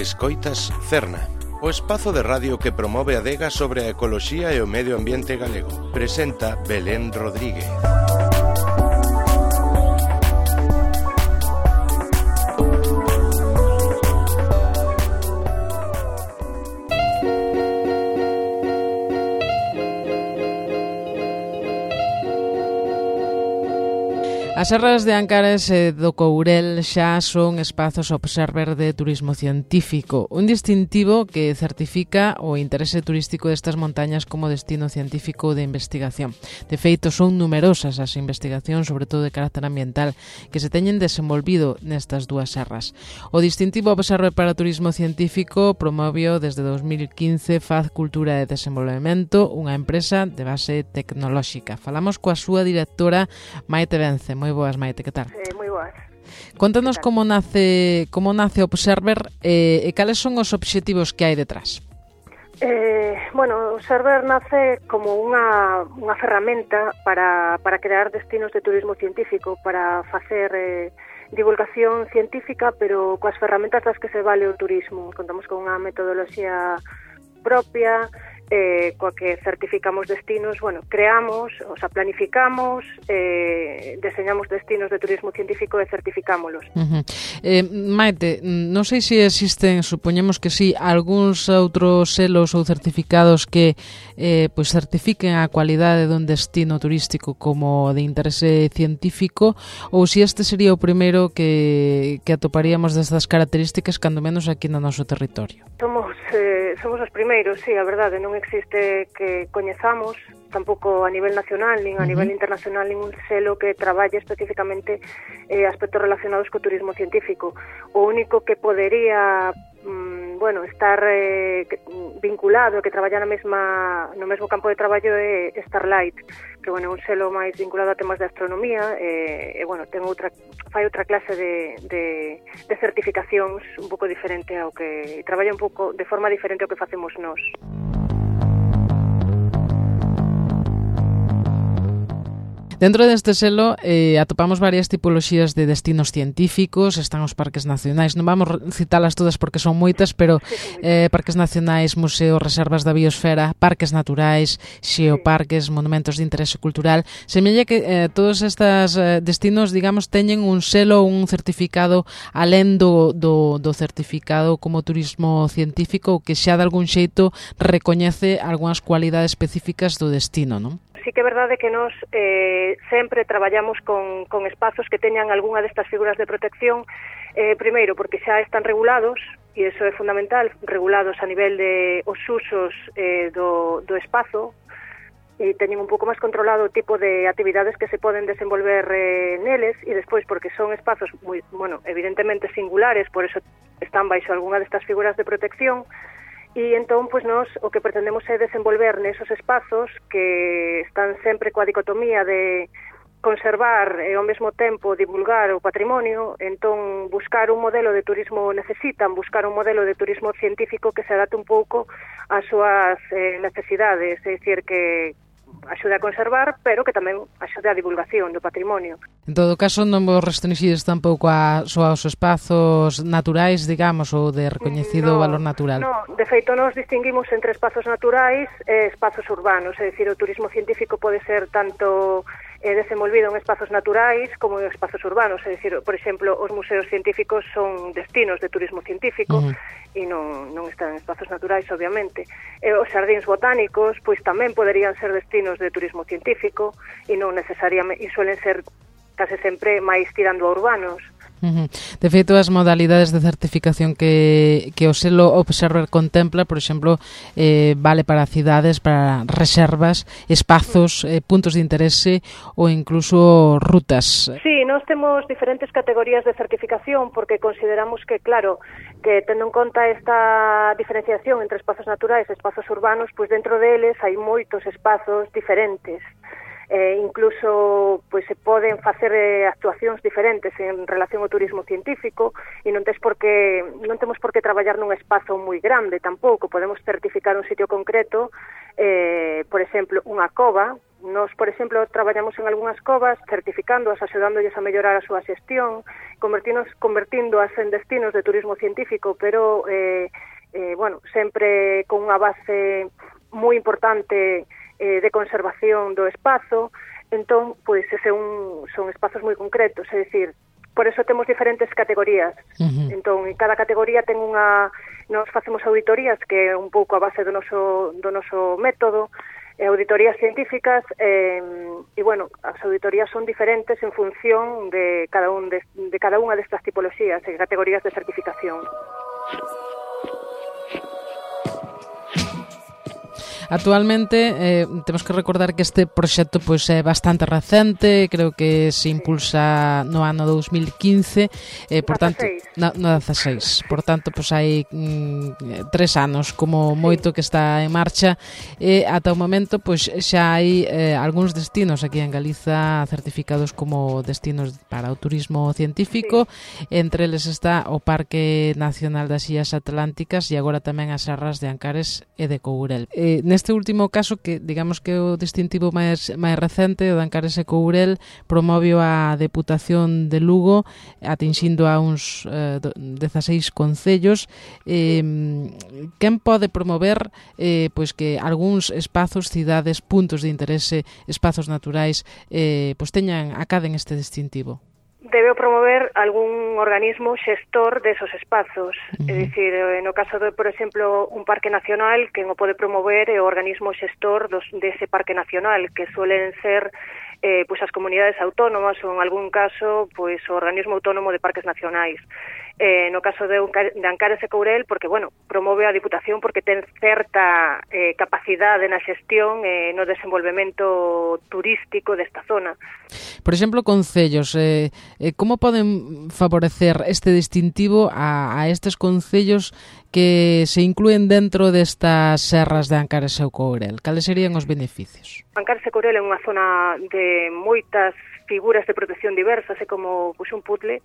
Escoitas Cerna, o espazo de radio que promove a adega sobre a ecoloxía e o medio ambiente galego. Presenta Belén Rodríguez. As serras de Ancares e do Courel xa son espazos observer de turismo científico, un distintivo que certifica o interese turístico destas montañas como destino científico de investigación. De feito, son numerosas as investigacións, sobre todo de carácter ambiental, que se teñen desenvolvido nestas dúas serras. O distintivo observer para turismo científico promovio desde 2015 Faz Cultura e Desenvolvemento, unha empresa de base tecnolóxica. Falamos coa súa directora Maite Vence. Moi boas, Maite, que tal? Moi boas. Contanos como nace Observer e cales son os obxectivos que hai detrás. Observer nace como unha ferramenta para crear destinos de turismo científico, para facer divulgación científica, pero coas ferramentas das que se vale o turismo. Contamos con unha metodoloxía propia, coa que certificamos destinos, creamos, planificamos, deseñamos destinos de turismo científico e certificámolos. Maite, non sei se existen, supoñemos que sí, algúns outros selos ou certificados que certifiquen a cualidade dun destino turístico como de interese científico, ou se este sería o primeiro que atoparíamos destas características, cando menos aquí no noso territorio. Somos os primeiros, sí, a verdade, non existe que coñezamos, tampouco a nivel nacional, nin a nivel internacional, ningún selo que traballe especificamente aspectos relacionados co turismo científico. O único que podería estar vinculado, que traballa no mesmo campo de traballo é Starlight, que é un selo máis vinculado a temas de astronomía, fai outra clase de certificacións un pouco diferente ao que traballa un pouco de forma diferente ao que facemos nós. Dentro deste selo atopamos varias tipoloxías de destinos científicos, están os parques nacionais, non vamos citalas todas porque son moitas, pero parques nacionais, museos, reservas da biosfera, parques naturais, xeoparques, monumentos de interese cultural. Semella que todos estes destinos, digamos, teñen un selo, un certificado alén do certificado como turismo científico, que xa de algún xeito recoñece algunhas cualidades específicas do destino, non? Sí que é verdade que nós sempre traballamos con espazos que teñan algunha destas figuras de protección, primeiro porque xa están regulados, e iso é fundamental, regulados a nivel de os usos do espazo, e teñen un pouco máis controlado o tipo de actividades que se poden desenvolver neles, e despois porque son espazos moi, evidentemente singulares, por eso están baixo algunha destas figuras de protección. E entón, nós o que pretendemos é desenvolver nesos espazos que están sempre coa dicotomía de conservar e ao mesmo tempo divulgar o patrimonio, entón buscar un modelo de turismo buscar un modelo de turismo científico que se adapte un pouco ás súas necesidades, é dicir que axude a conservar, pero que tamén axude a divulgación do patrimonio. En todo caso, non vos restringides tampouco só aos espazos naturais, digamos, ou de recoñecido valor natural? No, de feito, nos distinguimos entre espazos naturais e espazos urbanos, é dicir, o turismo científico pode ser tanto desenvolvido en espazos naturais como en espazos urbanos, é dicir, por exemplo, os museos científicos son destinos de turismo científico e non están en espazos naturais, obviamente. Os xardíns botánicos, pois tamén poderían ser destinos de turismo científico e non necesariamente, e suelen ser case sempre máis tirando a urbanos. De feito, as modalidades de certificación que o selo Observer contempla, por exemplo, vale para cidades, para reservas, espazos, puntos de interese ou incluso rutas. Sí, nós temos diferentes categorías de certificación porque consideramos que, claro, que tendo en conta esta diferenciación entre espazos naturais e espazos urbanos, pois dentro deles hai moitos espazos diferentes. Incluso se poden facer actuacións diferentes en relación ao turismo científico e non temos por que traballar nun espazo moi grande tampouco. Podemos certificar un sitio concreto, por exemplo, unha cova, Nos, por exemplo, traballamos en algunhas covas, certificándoas, axudándoles a mellorar a súa xestión, convertíndoas en destinos de turismo científico, pero, sempre con unha base moi importante de conservación do espazo. Entón, pois, son espazos moi concretos, é dicir, por eso temos diferentes categorías. Entón, en cada categoría ten nos facemos auditorías, que é un pouco a base do noso método, auditorías científicas, as auditorías son diferentes en función de cada unha destas tipologías e categorías de certificación. Actualmente temos que recordar que este proxecto pois é bastante recente, creo que se impulsa no ano 2015, por tanto, no 16, por tanto, pois hai 3 anos como moito que está en marcha, e ata o momento pois xa hai algúns destinos aquí en Galiza certificados como destinos para o turismo científico, entre eles está o Parque Nacional das Illas Atlánticas e agora tamén as serras de Ancares e de Courel. Neste último caso, que digamos que o distintivo máis recente, o de Ancares e Courel, promovio a Deputación de Lugo, atinxindo a uns 16 concellos. Quen pode promover pois que algúns espazos, cidades, puntos de interese, espazos naturais, pois acaden este distintivo? Debe promover algún organismo xestor desos espazos. É dicir, no caso de, por exemplo, un parque nacional, quen o pode promover é o organismo xestor dese parque nacional, que suelen ser as comunidades autónomas ou, en algún caso, o organismo autónomo de parques nacionais. No caso de Ancares e Courel, porque, promove a Diputación porque ten certa capacidade na xestión e no desenvolvemento turístico desta zona. Por exemplo, concellos, como poden favorecer este distintivo a estes concellos que se inclúen dentro destas serras de Ancares e Courel? Cales serían os beneficios? Ancares e Courel é unha zona de moitas figuras de protección diversas, é como un puzzle,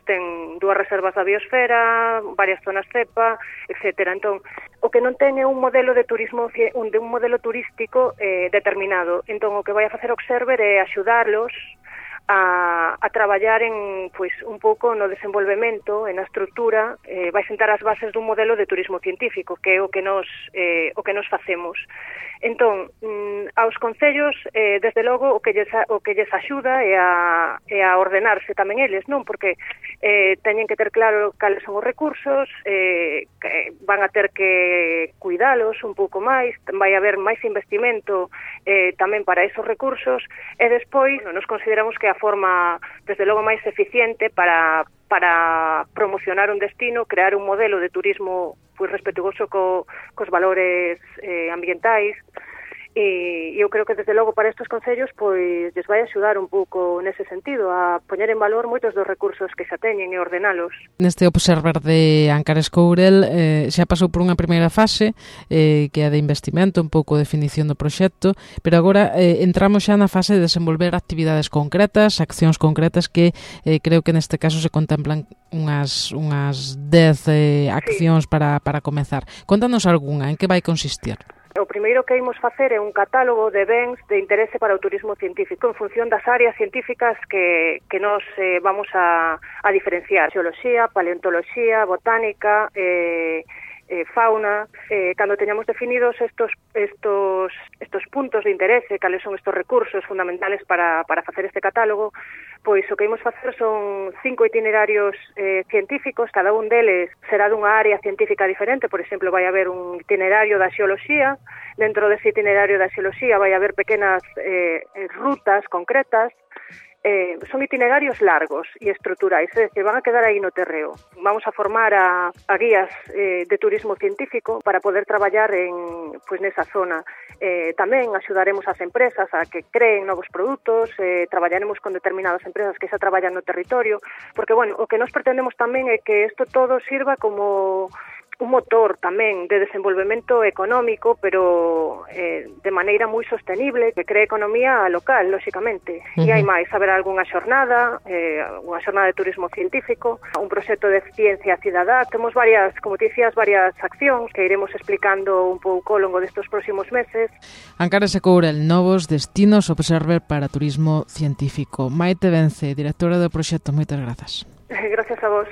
ten 2 reservas da biosfera, varias zonas cepa, etcétera. Entón, o que non ten é un modelo de turismo, un modelo turístico determinado. Entón, o que vai a facer Observer é axudarlos a traballar en un pouco no desenvolvemento, en a estrutura, vai sentar as bases dun modelo de turismo científico, que é o que nos facemos. Entón, aos concellos, desde logo, o que lles axuda é a ordenarse tamén eles, non? Porque teñen que ter claro cales son os recursos, que van a ter que cuidalos un pouco máis, vai haber máis investimento tamén para esos recursos, e despois nos consideramos que a forma, desde logo, máis eficiente para promocionar un destino, crear un modelo de turismo respetuoso cos valores ambientais, e eu creo que, desde logo, para estes concellos lles vai axudar un pouco nese sentido, a poñer en valor moitos dos recursos que xa teñen e ordenalos. Neste Observer de Ancares Courel xa pasou por unha primeira fase, que é de investimento, un pouco de definición do proxecto, pero agora entramos xa na fase de desenvolver actividades concretas, accións concretas, que creo que neste caso se contemplan unhas 10 accións para comezar. Contanos algunha, en que vai consistir? O primeiro que imos facer é un catálogo de bens de interese para o turismo científico en función das áreas científicas que nos vamos a diferenciar. Xeoloxía, paleontoloxía, botánica, fauna. Cando teñamos definidos estos puntos de interese, cales son estos recursos fundamentales para facer este catálogo, pois o que imos facer son 5 itinerarios científicos, cada un deles será dunha área científica diferente. Por exemplo, vai haber un itinerario da xeoloxía, dentro dese itinerario da xeoloxía vai haber pequenas rutas concretas. Son itinerarios largos e estruturais, é dicir, van a quedar aí no terreo. Vamos a formar a guías de turismo científico para poder traballar nesa zona. Tamén axudaremos as empresas a que creen novos produtos, traballaremos con determinadas empresas que xa traballan no territorio, porque, o que nos pretendemos tamén é que isto todo sirva como un motor tamén de desenvolvemento económico, pero de maneira moi sostenible, que cree economía local, lóxicamente. E hai máis, haberá algunha xornada de turismo científico, un proxecto de ciencia cidadá. Temos varias, como te dicías, varias accións que iremos explicando un pouco ao longo destes próximos meses. Ancares e Courel, novos destinos Observer para turismo científico. Maite Vence, directora do proxecto, moitas grazas. Gracias a vos.